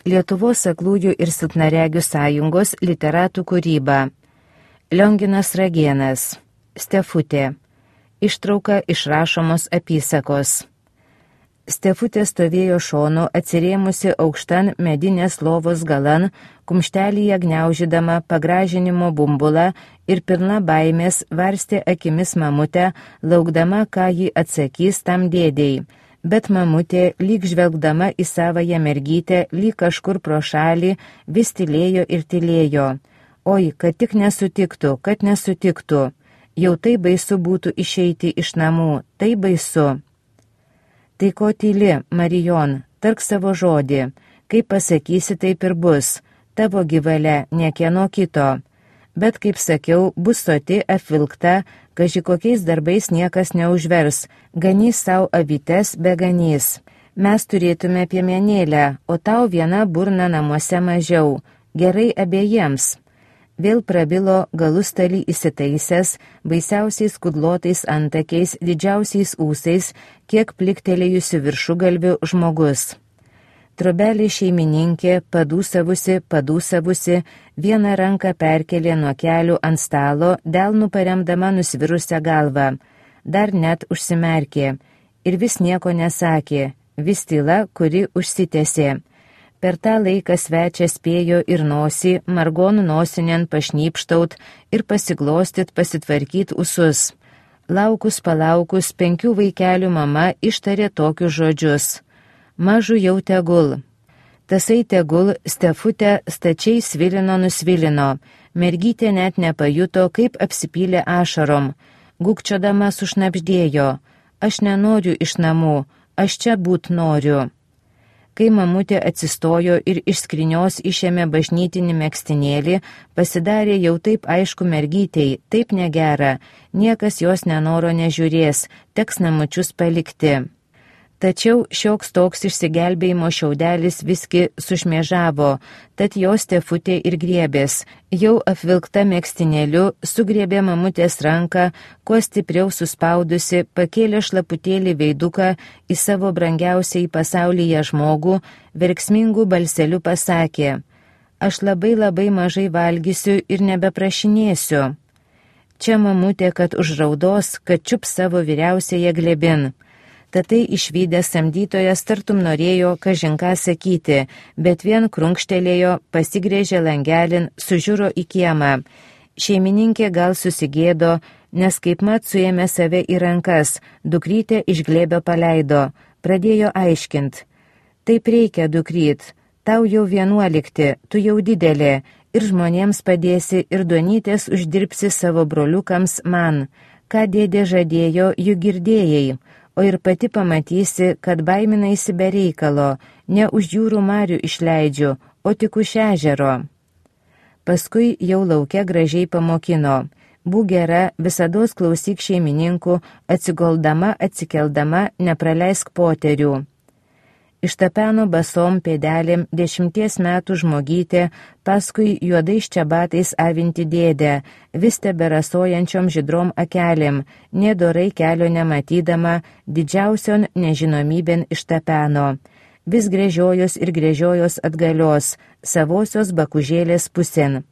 Lietuvos aklųjų ir silpnaregių sąjungos literatų kūryba. Lionginas Ragėnas. Stefutė. Ištrauka iš rašomos apysakos. Stefutė stovėjo šonu, atsirėmusi aukštan medinės lovos galan, kumštelyje gniaužydama pagražinimo bumbulą ir pilna baimės varstė akimis mamutę, laukdama, ką ji atsakys tam dėdei. Bet mamutė, lyg žvelgdama į savąją mergytę, lyg kažkur pro šalį, vis tylėjo ir tylėjo. Oi, kad tik nesutiktų, kad nesutiktų. Jau tai baisu būtų išeiti iš namų, tai baisu. Tai ko tyli, Marijon, tark savo žodį, kaip pasakysi, taip ir bus, tavo gyvalia, niekieno kito. Bet, kaip sakiau, bus soti apvilkta, kaži kokiais darbais niekas neužvers, ganys savo avytes be ganys. Mes turėtume piemenėlę, o tau viena burna namuose mažiau, gerai abiejiems. Vėl prabilo galustalį įsitaisęs, baisiausiais kudlotais antakiais, didžiausiais ūsais, kiek pliktelėjusi viršugalvių žmogus. Trobelė šeimininkė, padūsavusi, vieną ranką perkelė nuo kelių ant stalo, delnų paremdama nusvirusią galvą. Dar net užsimerkė ir vis nieko nesakė, vis tyla, kuri užsitęsė. Per tą laiką svečias spėjo ir nosį, margonų nosinien pašnypštaut ir pasiglostyt, pasitvarkyt ūsus. Palaukus, 5 vaikelių mama ištarė tokius žodžius. Mažu jau tegul. Tasai tegul Stefutę stačiai nusvilino. Mergytė net nepajuto, kaip apsipylė ašarom. Gūkčiodama sušnabždėjo. Aš nenoriu iš namų, aš čia būt noriu. Kai mamutė atsistojo ir iš skrynios išėmė bažnytinį megztinėlį, pasidarė jau taip aišku mergytei, taip negera, niekas jos nenoro nežiūrės, teks namučius palikti. Tačiau šioks toks išsigelbėjimo šiaudelis viski sušmėžavo, tad jos Stefutė ir griebės. Jau apvilkta megztinėliu, sugriebė mamutės ranką, kuo stipriau suspaudusi, pakėlė šlaputėlį veiduką į savo brangiausiai pasaulyje žmogų, verksmingų balseliu pasakė: Aš labai mažai valgysiu ir nebeprašinėsiu. Čia mamutė, kad užraudos, kad čiups savo vyriausiąją glėbin. Tatai išvydęs samdytojas tartum norėjo kažinką sakyti, bet vien krunkštelėjo, pasigrėžė langelin, sužiūro į kiemą. Šeimininkė gal susigėdo, nes kaipmat suėmė save į rankas, dukrytę iš glėbio paleido, pradėjo aiškint. Taip reikia, dukryt, tau jau 11, tu jau didelė, ir žmonėms padėsi, ir duonytės uždirbsi savo broliukams man. Ką dėdė žadėjo, juk girdėjai. O ir pati pamatysi, kad baiminaisi be reikalo, ne už jūrų marių išleidžiu, o tik už ežero. Paskui jau lauke gražiai pamokino. Būk gera, visados klausyk šeimininkų, atsigoldama, atsikeldama, nepraleisk poterių. Ištapeno basom pėdelėm 10 metų žmogytė, paskui juodais čebatais avinti dėdę, vis teberasojančiom žydrom akelėm, nedorai kelio nematydama, didžiausion nežinomybėn ištapeno. Vis gręžiojos ir gręžiojos atgalios, savosios bakužėlės pusėn.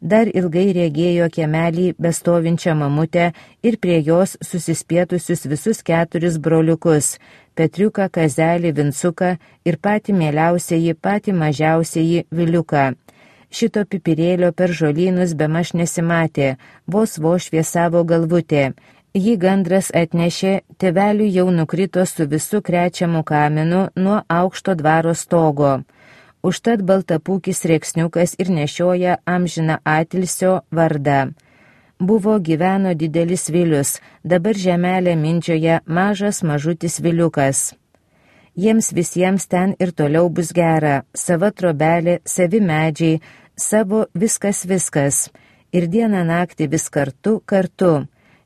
Dar ilgai regėjo kiemelį bestovinčią mamutę ir prie jos susispietusius visus 4 broliukus – Petriuką, Kazelį, Vincuką ir patį mieliausiąjį, patį mažiausiąjį Viliuką. Šito pipirėlio per žolynus bemaž nesimatė, vos šviesavo galvutė. Jį gandras atnešė, tėveliui jau nukrito su visu krečiamu kamenu nuo aukšto dvaro stogo. Užtat baltapūkis rėksniukas ir nešioja amžiną atilsio vardą. Gyveno didelis Vilius, dabar žemelė mindžioja mažas mažutis Viliukas. Jiems visiems ten ir toliau bus gera, sava trobelė, savi medžiai, savo viskas. Ir dieną naktį vis kartu.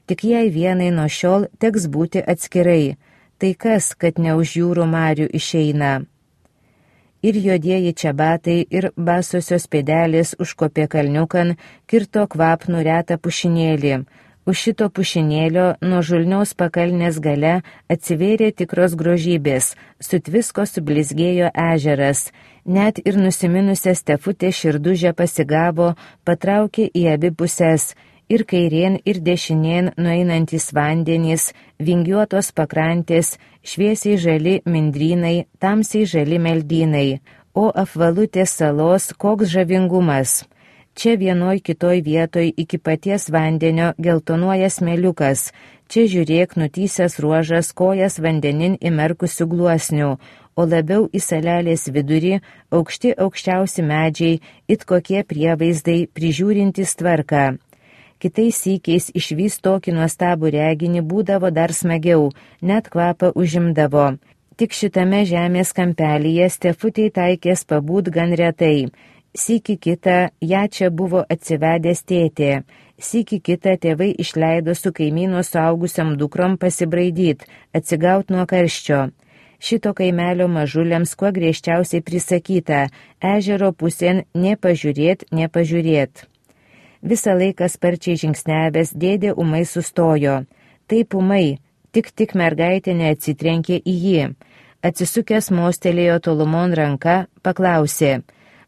Tik jai vienai nuo šiol teks būti atskirai. Tai kas, kad ne už jūrų marių išeina? Ir juodieji čebatai, ir basosios pėdelės užkopė kalniukan, kirto kvapnų retą pušinėlį. Už šito pušinėlio nuo žulniaus pakalnės gale atsivėrė tikros grožybės, sutvisko sublizgėjo ežeras, net ir nusiminusią Stefutę širdužę pasigavo, patraukė į abi pusės, ir kairien, ir dešinien nueinantys vandenys, vingiuotos pakrantės, šviesiai žali mindrynai, tamsiai žali meldynai, o apvalutės salos koks žavingumas. Čia vienoj kitoj vietoj iki paties vandenio geltonuoja smėliukas, čia žiūrėk nutysęs ruožas kojas vandenin įmerkusių gluosnių, o labiau į salelės vidurį aukščiausi medžiai, it kokie prievaizdai prižiūrintys tvarką. Kitais sykiais išvys tokį nuostabų reginį būdavo dar smagiau, net kvapą užimdavo. Tik šitame žemės kampelyje Stefutei taikės pabūt gan retai. Sykį kitą ją čia buvo atsivedęs tėtė, sykį kitą tėvai išleido su kaimyno suaugusiam dukrom pasibraidyt, atsigaut nuo karščio. Šito kaimelio mažuliams kuo griežčiausiai prisakyta, ežero pusėn nepažiūrėt. Visą laiką sparčiai žingsnevęs dėdė ūmai sustojo. Taip ūmai, tik mergaitė neatsitrenkė į jį. Atsisukęs mostelėjo tolumon ranka, paklausė: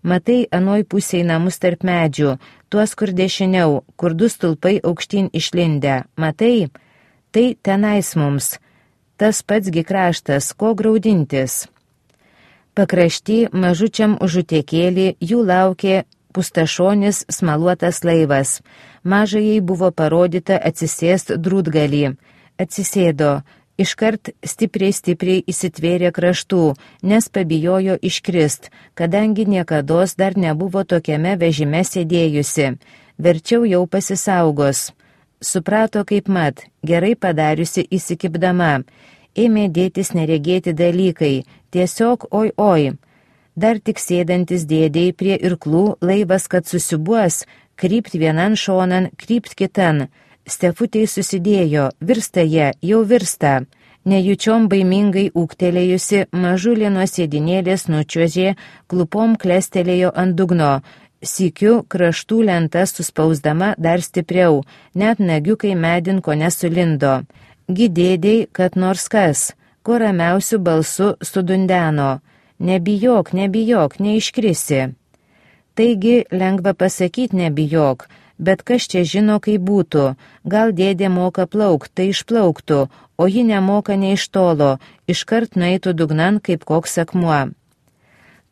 Matai anoj pusėj namus tarp medžių, tuos kur dešiniau, kur du stulpai aukštyn išlindę. Matai? Tai tenais mums. Tas patsgi kraštas, ko graudintis. Pakrašty mažučiam užutėkėlį jų laukė pustašonis smaluotas laivas. Mažajai buvo parodyta atsisėst drūtgalį. Atsisėdo. Iškart stipriai įsitvėrė kraštų, nes pabijojo iškrist, kadangi niekados dar nebuvo tokiame vežime sėdėjusi. Verčiau jau pasisaugos. Suprato kaip mat, gerai padariusi įsikibdama. Ėmė dėtis neregėti dalykai, tiesiog oi. Dar tik sėdantis dėdėjai prie irklų, laivas kad susibuos, krypt vienan šonan, krypt kitan. Stefutei susidėjo, virsta jie, jau virsta. Nejučiom baimingai ūktelėjusi, mažulė nuo sėdinėlės nučiuožė, klupom klestelėjo ant dugno. Sykiu kraštų lenta suspausdama dar stipriau, net nagiukai medin ko nesulindo. Gidėdėjai, kad nors kas, kuo ramiausių balsu sudundeno. Nebijok, neiškrisi. Taigi lengva pasakyti nebijok, bet kas čia žino, kaip būtų. Gal dėdė moka plaukt, tai išplauktų, o ji nemoka nei iš tolo, iškart nueitų dugnan kaip koks akmuo.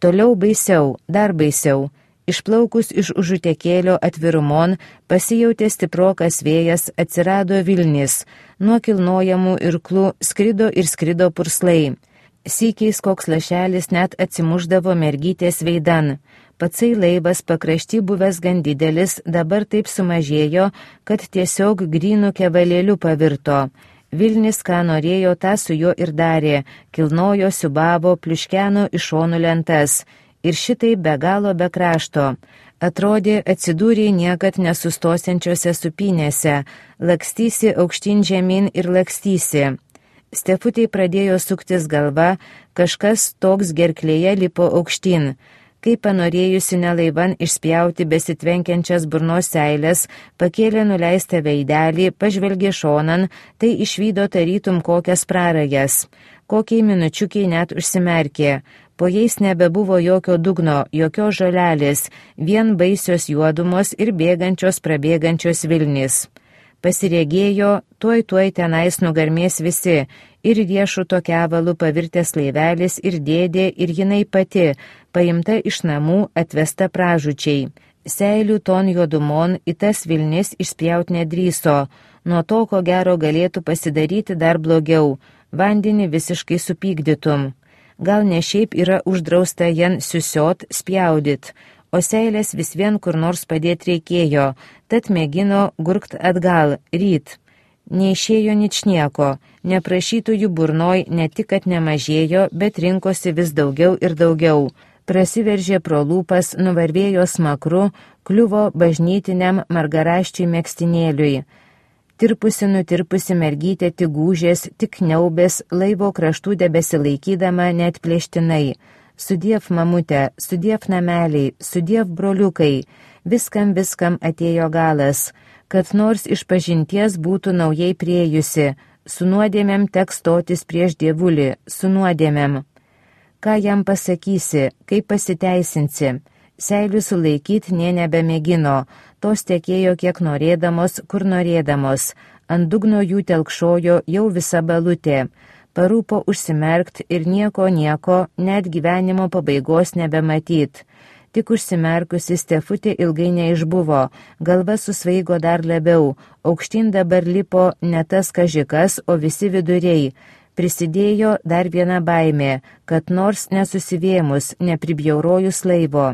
Toliau baisiau, dar baisiau. Išplaukus iš užutekėlio atvirumon, pasijautė stiprokas vėjas, atsirado Vilnis. Nuo kilnojamų irklų skrido purslai. Sykiais koks lašelis net atsimuždavo mergytės veidan. Patsai laivas pakrašty buvęs gan didelis, dabar taip sumažėjo, kad tiesiog grynų kevalėliu pavirto. Vilnis, ką norėjo, tą su juo ir darė, kilnojo, siubavo, pliuškeno iš šonų lentas. Ir šitai be galo be krašto. Atrodė, atsidūrė niekad nesustosiančiose supynėse, lakstysi aukštyn žemyn ir lakstysi. Stefutei pradėjo suktis galva, kažkas toks gerklėje lipo aukštyn. Kai panorėjusi nelaivan išspjauti besitvenkiančias burnos seilės, pakėlė nuleistą veidelį, pažvelgė šonan, tai išvydo tarytum kokias prarajas. Kokiai minučiukiai net užsimerkė. Po jais nebebuvo jokio dugno, jokios žolelės, vien baisios juodumos ir prabėgančios Vilnis. Pasiregėjo, tuoj tenais nugarmės visi, ir riešuto kevalu pavirtęs laivelis, ir dėdė, ir jinai pati, paimta iš namų, atvesta pražučiai. Seilių ton juodumon į tas Vilnis išspjaut nedrįso, nuo to, ko gero galėtų pasidaryti dar blogiau, vandenį visiškai supykdytum. Gal ne šiaip yra uždrausta jan siusiot, spjaudyt, o seilės vis vien kur nors padėti reikėjo, tad mėgino gurkt atgal, ryt. Neišėjo ničnieko, neprašytųjų burnoj ne tik, kad nemažėjo, bet rinkosi vis daugiau ir daugiau. Prasiveržė pro lūpas, nuvarvėjo smakru, kliuvo bažnytiniam margaraščiui megztinėliui. Nutirpusi mergytė tik gūžės, tik kniaubės, laivo kraštų debesilaikydama net plėštinai. Sudiev mamutė, sudiev nameliai, sudiev broliukai. Viskam atėjo galas, kad nors iš pažinties būtų naujai priejusi, su nuodėmėm teks stotis prieš dievulį, su nuodėmėm. Ką jam pasakysi, kaip pasiteisinsi? Seilių sulaikyti nė nebemėgino, tos tekėjo kiek norėdamos, kur norėdamos, ant dugno jų telkšojo jau visa balutė, parūpo užsimerkt ir nieko, net gyvenimo pabaigos nebematyt. Tik užsimerkusi Stefutė ilgai neišbuvo, galva susvaigo dar labiau, aukštyn dabar lipo ne tas kažikas, o visi viduriai. Prisidėjo dar viena baimė, kad nors nesusivėmus, nepribjaurojus laivo.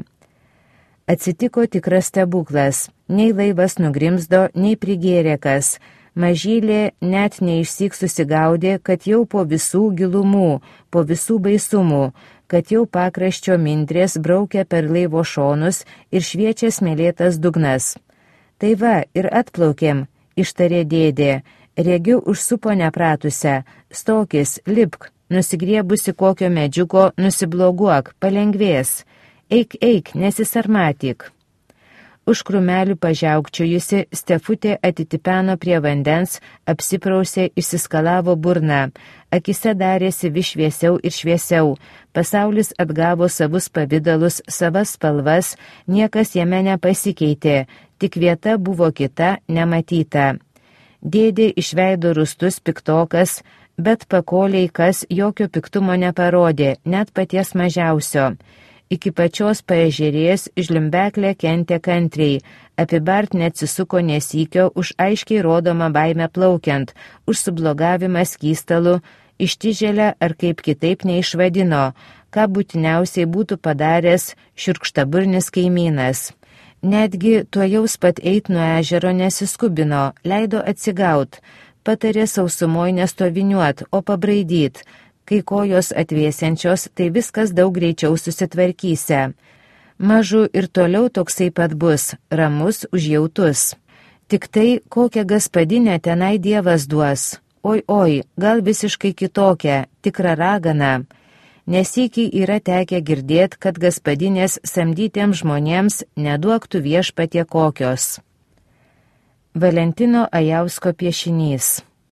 Atsitiko tikras stebuklas, nei laivas nugrimzdo, nei prigėrė kas. Mažylė net neišsyk susigaudė, kad jau po visų gilumų, po visų baisumų, kad jau pakraščio mindrės braukia per laivo šonus ir šviečia smėlėtas dugnas. Tai va, ir atplaukėm, ištarė dėdė, regiu užsupo nepratusią, stokis, lipk, nusigriebusi kokio medžiuko, nusibloguok, palengvės, eik, nesisarmatyk. Už krūmelių pažiaukčiojusi, Stefutė atitipeno prie vandens, apsiprausė, išsiskalavo burną, akise darėsi vis šviesiau ir šviesiau, pasaulis atgavo savus pavidalus, savas spalvas, niekas jame nepasikeitė, tik vieta buvo kita, nematyta. Dėdė išveido rūstus piktokas, bet pakoliai kas jokio piktumo neparodė, net paties mažiausio. Iki pačios paežerės žlimbeklė kentė kantriai, apibart neatsisuko nesykio už aiškiai rodomą baimę plaukiant, už sublogavimą skystalu, ištižėlę ar kaip kitaip neišvadino, ką būtiniausiai būtų padaręs šiurkštaburnis kaimynas. Netgi tuojaus pat eit nuo ežero nesiskubino, leido atsigaut, patarė sausumoj nestoviniuot, o pabraidyt. Kai kojos atvėsiančios, tai viskas daug greičiau susitvarkysia. Mažu ir toliau toksai pat bus, ramus, užjautus. Tik tai, kokią gaspadinę tenai Dievas duos. Oi, gal visiškai kitokią, tikrą raganą. Nesykį yra tekę girdėt, kad gaspadinės samdytiems žmonėms neduoktų viešpatie kokios. Valentino Ajausko piešinys.